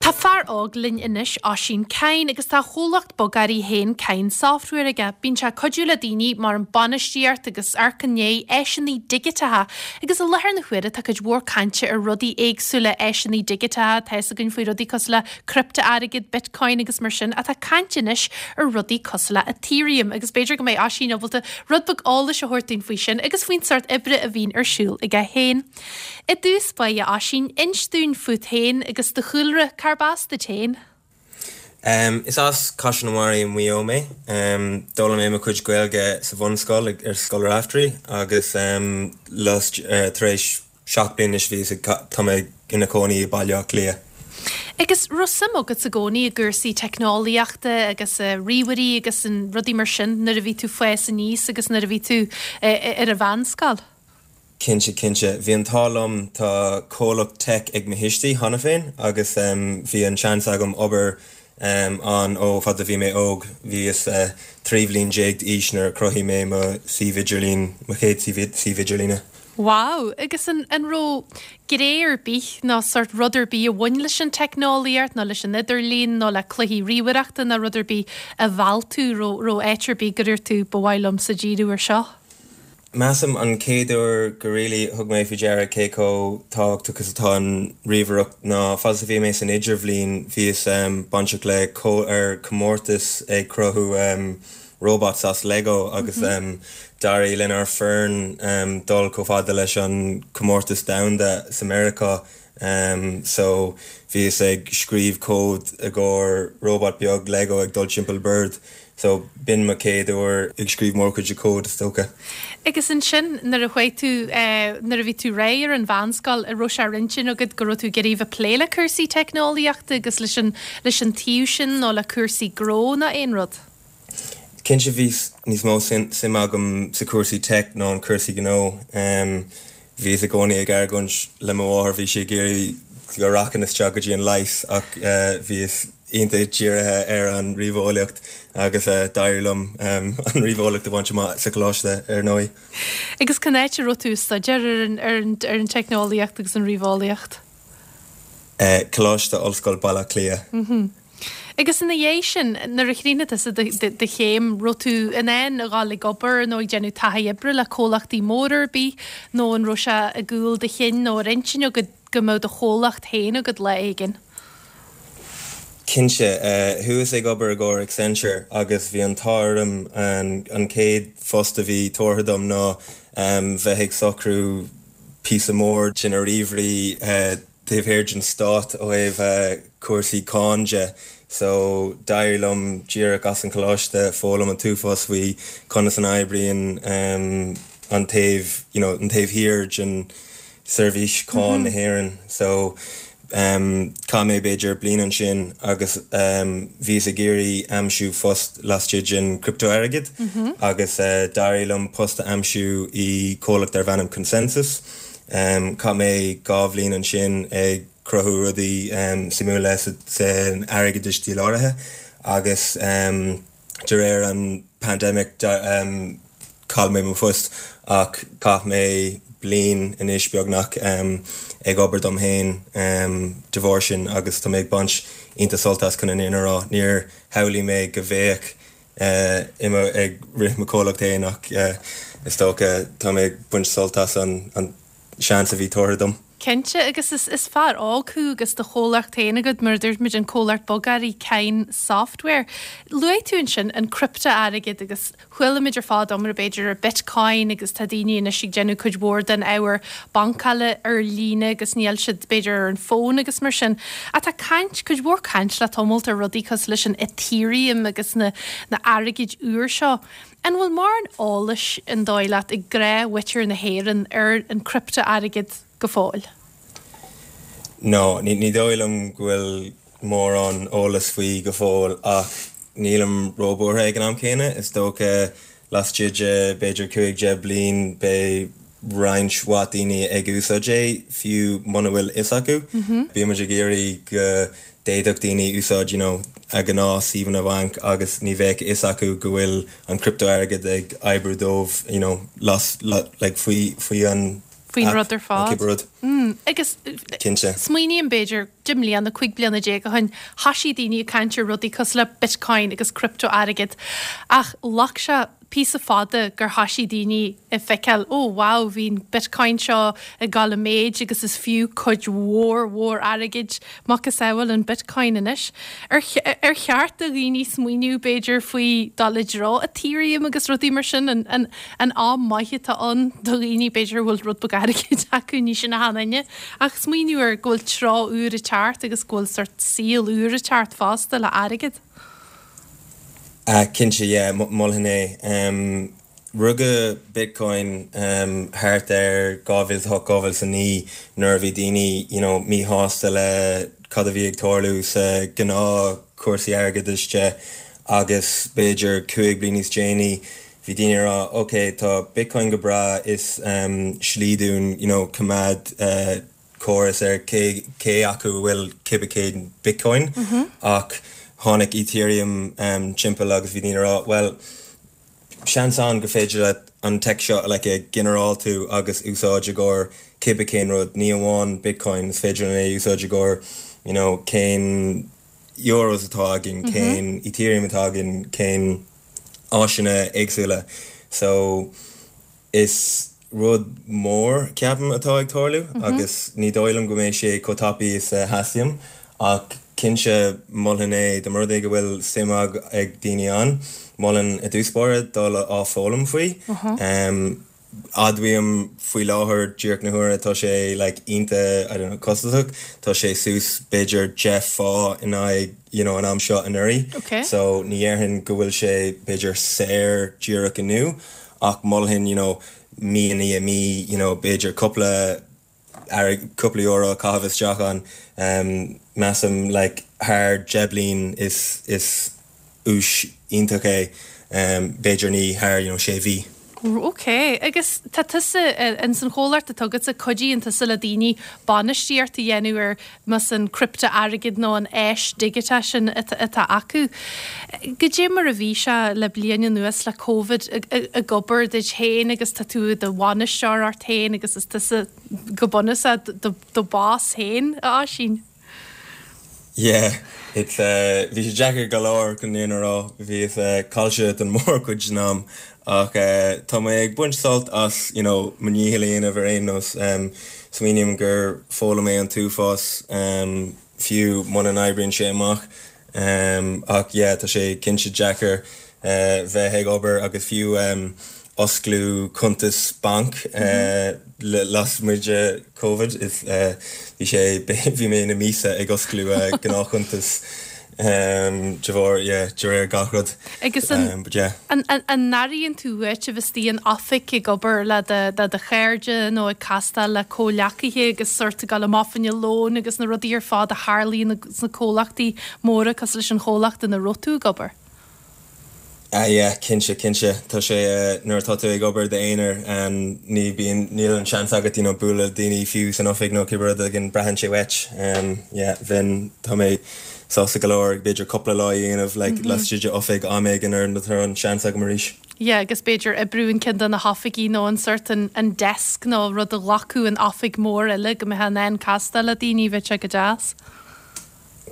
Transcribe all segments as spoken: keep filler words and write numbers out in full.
Tá fear óg linn anois Oisín Kyne agus tá comhlacht bogearraí féin Kyne Software aige. Bíonn sé cuidiú le daoine mar an bainistíocht agus arcané áiseanna digiteacha agus i láthair na huaire tá cuid mhór cainte ar rudaí éagsúla áiseanna digiteacha tá againn faoi rudaí cosúil le criptea-airgead, Bitcoin agus mar sin atá caint anois ar rudaí cosúil le Ethereum agus b'fhéidir go mbeidh Oisín ábalta rud beag eolais a thabhairt dúinn faoi sin agus faoin sórt oibre a bhíonn ar siúl aige féin. I dtús báire Oisín inis dúinn fút féin agus do chúlra cárb as duit féin. Um, is as Caiseal na Mara Maigh Eo mé. Um, D'fhoghlaim mé mo chuid Gaeilge sa bhunscoil ar Scoil Raftery agus um, last uh, tar éis seacht bliana anois bhí tá mé i mo chónaí i Baile Átha Cliath. Agus raibh suim agat i gcónaí i gcúrsaí teicneolaíochta agus uh, ríomhairí agus an rudaí mar sin nuair a bhí tú ag fás aníos agus nuair a bhí tú uh, ar an mheánscoil. Cinnte cinnte, bhí an t-ádh liom tá comhlacht tech ag mo thuistí cheana féin agus um, bhí an seans agam obair um, an ó fad a bhí mé óg bhíos uh, trí bliana déag d'aois nuair chruthaigh mé mo suíomh idirlín mo chéad suíomh idirlíne. Wow, agus an, an raibh gné ar bith nó sórt rud ar bith a bhain leis an teicneolaíocht nó leis an idirlíon nó le cluichí ríomhaireachta nó rud ar bith a mheall tú raibh áit ar bith gur tú ba mhaith liomsa díriú ar seo. Measaim an chéad uair go really thug mé faoi deara cé chomh tábhachtach is atá an ríomhaireacht ná fad a bhí mé san idirbhliain bhíos um, bainteach le có ar comórtas ag cruthú um, robots as Lego agus mm -hmm. um, d'éirigh lenár bhfoireann um, dul chomh fada leis an comórtas domhanda sa America. Um, so bhíos ag scríobh cód i gcomhair robot beag Lego ag dul timpeall bord. So b'in mo chéad uair ag scríobh mórchuid cód is dócha. Agus ansin nuair a chuaigh tú eh, nuair a bhí tú réidh ar an mheánscoil an raibh sé ar intinn agat go raibh tú ag iarraidh plé le cúrsaí teicneolaíochta agus leis an leis an taobh sin nó le cúrsaí gnó nó aon rud. Cinnte bhí níos mó suim agam sa cúrsaí tech ná an cúrsaí gnó. Um, Bhíos i gcónaí ag argóint le mo mháthair bhí sí ag iarraidh go rachainn isteach go dtí an leigheas ach uh, bhíos iontach dírithe ar an ríomheolaíocht agus uh, d'éirigh liom um, an ríomheolaíocht a bhaint amach sa choláiste ar ndóigh. Agus cén áit a raibh tú staidéar ar an, ar an, ar an teicneolaíocht agus an ríomheolaíocht. Uh, Coláiste Ollscoile Baile Átha Cliath. Mm -hmm. Agus ina dhiaidh sin nuair a chríochnaigh tusa do chéim raibh tú in ann a ghabháil ag obair nó ag déanamh taithí oibre le comhlachtaí mór ar bith nó an raibh sé i gcúl do chinn nó ar intinn go go mbeadh do chomhlacht féin agat lá éigin. Cinnte uh, thuas ag obair i gcomhair Accenture agus bhí an t-ádh an, an chéad phost a bhí tabhartha dom ná um, bheith ag socrú píosa mór sin a ríomhairí uh, taobh thiar den stát ó thaobh uh, cúrsaí cáin de. So d'éirigh liom díreach as an choláiste foghlaim an t-uafás faoi conas an oibríonn um, an taobh you know, an taobh thiar den seirbhís cáin mm -hmm. na hÉireann. So um, chaith mé b'fhéidir bliain ansin agus um, bhíos ag iarraidh aimsiú post laistigh den criptea-airgead mm -hmm. agus uh, d'éirigh liom post a aimsiú i comhlacht darb ainm ConsenSys. Um, chaith mé dhá bhliain ansin ag cruthú rudaí um, suimiúla san airgeadas díláraithe agus um, de réir an pandemic um, chaill mé mo phost ach chaith mé bliain anois beagnach um, ag obair dom féin um, de bharr sin agus tá mé ag baint iontach sult as chun an fhírinne a rá níor shamhlaigh mé go mbeadh uh, im ag rith mo chomhlacht féin ach uh, is dócha tá mé ag baint sult as an, an seans a bhí tabhartha dom. Cinnte agus is, is fear óg thú agus do chomhlacht féin agat mar dúirt muid an comhlacht bogearraí Kyne Software. Luaigh tú ansin an criptea-airgead agus chuala muid ar fad iomrá b'fhéidir ar Bitcoin agus tá daoine anois ag déanamh cuid mhór den ábhar bancála ar líne agus níl siad b'fhéidir ar an bhfón agus mar sin. Ach tá caint cuid mhór caint le tamall ar rudaí cosúil leis an Ethereum agus na, na airgid úr seo. An bhfuil mórán eolais an dóigh leat ag gnáthmhuintir na hÉireann ar an criptea-airgead go fóill? No, ní ní dóigh liom go bhfuil mórán eolas faoi go fóill ach nílim róbhuartha ag an am céanna is dócha laistigh de b'fhéidir cúig deich bliain beidh roinnt mhaith daoine ag úsáid é fiú muna bhfuil fhios acu. Mm -hmm. Bímid ag iarraidh go d'fhéadfadh daoine úsáid you know, a ngnáth-shuíomhanna bainc agus ní bheadh fhios acu go bhfuil an criptea-airgead ag oibriú dóibh you know, las, la, like, faoi faoi an Faoin rud ar fad. Cibé rud. Mm, agus Cinnte. Smaoiním b'fhéidir deich mbliana cúig bliana déag ó shin thosaigh daoine ag caint ar rudaí cosúil le Bitcoin agus cripto-airgead ach ghlac sé píosa fada gur thosaigh daoine ag feiceáil ó wow bhí an Bitcoin seo ag dul i méid agus is fiú cuid mhór mhór airgid macasamhail an Bitcoin anois. Ar ar cheart do dhaoine smaoineamh b'fhéidir faoi dul i dtreo Ethereum agus rudaí mar sin an, an, an am maith atá ann do dhaoine b'fhéidir bhfuil rud beag airgid acu ní sin a haine ach smaoineamh ar go bhfuil tráth úr ag teacht agus go bhfuil sort saol úr ag teacht fosta le airgead. Uh, cinnte yeah, mholfainn é. Um, rugadh Bitcoin um, thart ar dhá mhíle hocht dhá mhíle naoi nuair a bhí daoine you know, míshásta le cad a bhí ag tarlú sa gnáth cúrsaí airgeadais de agus b'fhéidir cúig bliana níos déanaí bhí daoine rá ok tá Bitcoin go breá is um, slí dúinn you know, coimeád uh, córas ar cé, cé acu bhfuil cibé cén Bitcoin mm -hmm. ach tháinig Ethereum um, timpeall agus bhí daoine rá well seans ann go féidir le an tech seo like, a ginearálú agus úsáid i gcomhair cibé cén rud ní amháin Bitcoin is féidir é úsáid i gcomhair you know, cén euros atá againn mm -hmm. cén Ethereum atá againn cén áiseanna éagsúla so is rud mór ceapaim atá ag tarlú mm -hmm. agus ní dóigh liom go mbeidh sé chomh tapaidh is a theastaíonn ach cinnte mholfainn é do rud é go bhfuil suim ag daoine ann mholfainn i dtús báire dul á foghlaim faoi. Uh -huh. um, Admhaím faoi láthair díreach na huaire tá sé like, iontach I don't know, costasach tá sé suas b'fhéidir deich fá in aghaidh you know, an am seo anuraidh. Okay. So ní dhéarfainn go bhfuil sé b'fhéidir saor díreach inniu ach mholfainn you know, mí ní mí you know, b'fhéidir cúpla cúpla euro caitheamh isteach an um, measaim like, thar deich bliain is is ús iontach é um, b'fhéidir ní thar you know, sé mhí. Ok, agus tá tusa in san chomhlacht atá agatsa cuidíonn tusa le daoine bainistíocht a dhéanamh ar mas an cripto-airgead nó an áis digiteach sin atá acu. Goidé mar a bhí sé le bliain anuas le COVID ag obair duit féin agus tá tú do bhainisteoir ort féin agus is tusa go bunúsach do boss féin a Oisín. Yeah, it's uh, bhí sé deacair go leor chun an fhírinne a rá bhí uh, caillte den mórchuid den am ach uh, tá mé ag baint sult as you know, mo dhícheall a dhéanamh ar aon nós um, smaoiním gur foghlaim mé an t-uafás um, fiú muna n-oibríonn sé amach um, ach yeah, tá sé cinnte deacair uh, bheith ag obair agus fiú um, osclú cuntas banc mm -hmm. uh, lasmuigh de COVID is uh, bhí sé bhí mé na míosa ag osclú uh, gnáthchuntas um, de bharr yeah, de réir gach rud. Agus an, um, but yeah. an, an, an n-airíonn tú uait a bheith in oifig ag obair le do do chairde nó ag castáil le comhghleacaithe agus sort ag dul amach fá choinne lóin agus na rudaí ar fad a tharlaíonn sna comhlachtaí móra cosúil leis an chomhlacht ina raibh tú ag obair. Ah yeah, cinnte cinnte tá sé uh, nuair atá tú ag obair d'aonar um, ní bíonn níl an seans agat you know, bualadh daoine fiú san oifig nó cibé rud again braitheann sé uait um, yeah, bhíonn tá mé sásta go leor b'fhéidir cúpla lá a dhéanamh like, mm -hmm. laistigh de oifig am éigin ar na an seans agam arís. Yeah, agus b'fhéidir oibriú in ceann de na hoifigí nó an sort an, an desk nó rud a ghlacadh an oifig mór eile go mbeadh an an castáil le daoine bheadh sé go deas.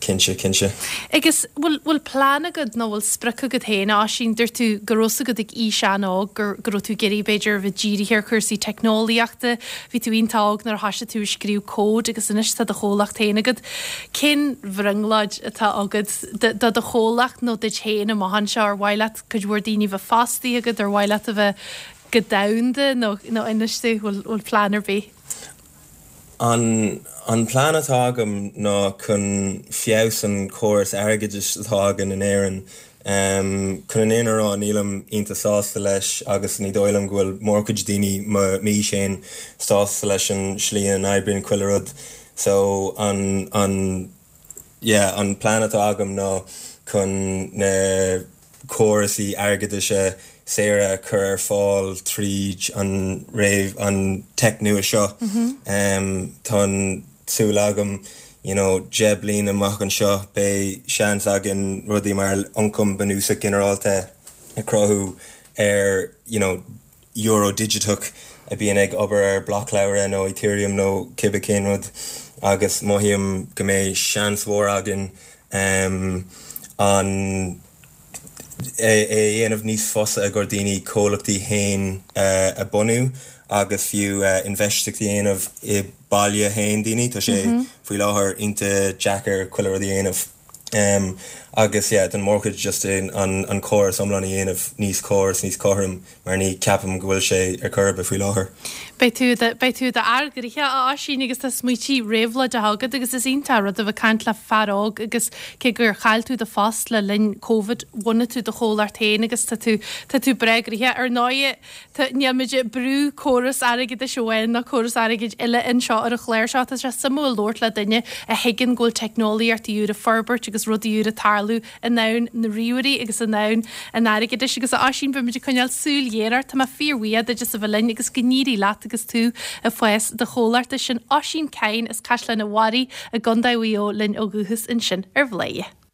Cinnte cinnte. Agus bhfuil bhfuil plean agat nó bhfuil sprioc agat féin Oisín dúirt tú go raibh agat ag aois an-óg gur go raibh tú ag iarraidh b'fhéidir bheith dírithe ar chúrsaí teicneolaíochta, bhí tú iontach óg nuair a thosaigh tú ag scríobh cód agus anois tá do chomhlacht féin agat. Cén bhrionglóid atá agat do do chomhlacht nó duit féin amach anseo ar mhaith leat cuid mhór daoine bheith fostaithe agat ar mhaith leat a bheith go domhanda nó nó inis bhfuil bhfuil plean ar bith. An an plean atá agam ná chun feabhas an córas airgeadais atá againn in Éirinn. Um, chun an fhírinne a rá nílim iontach sásta leis agus ní dóigh liom go bhfuil mórchuid daoine m'aois féin sásta leis an slí an oibríonn chuile rud. So an an yeah, an plean atá agam ná chun na córasaí airgeadais saora a chur ar fáil tríd an réimh an tech nua seo. Mm -hmm. um, Tá súil agam you know, deich bliain amach anseo beidh seans againn rudaí mar ioncam bunúsach ginearálta a chruthú ar you know, euro digiteach a bíonn ag obair ar blocleabhra nó Ethereum nó cibé cén rud agus mothaím go mbeidh seans mhór againn um, an é é dhéanamh níos fusa ag daoine comhlachtaí féin uh, a bunú agus fiú uh, infheistíocht a dhéanamh i baile féin daoine tá sé mm -hmm. faoi láthair iontach deacair chuile rud a dhéanamh. Um, agus yeah, den mórchuid just in an, an córas iomlán a dhéanamh níos córas níos cothrom mar ní ceapaim go bhfuil sé ar chor ar bith faoi láthair. Beidh tú beidh tú d'argrithe a Oisín agus tá smaointe réabhlóideacha agat agus is iontach rud a bheith caint le fear óg agus cé gur chaill tú do phost le linn COVID bhunaigh tú do chomhlacht féin agus tá tú tá tú breá gnoitheach ar ndóigh níl muid brú córas airgeadais amháin ná córas airgid eile anseo ar an chlár seo tá sé suimiúil labhairt le duine a thuigeann go bhfuil teicneolaíocht úr ag forbairt agus rudaí úra ag tarlú i ndomhan na ríomhairí agus i ndomhan an airgeadais agus a Oisín beimid ag coinneáil súil ghéar ort tá mé fíorbhuíoch duit as a bheith linn agus go n-éirí leat agus tú ag fás do chomhlachta sin Oisín Kyne as Caisleán an Bharraigh i gContae Mhaigh Eo linn ó dhúchas ansin ar Bhladhaire.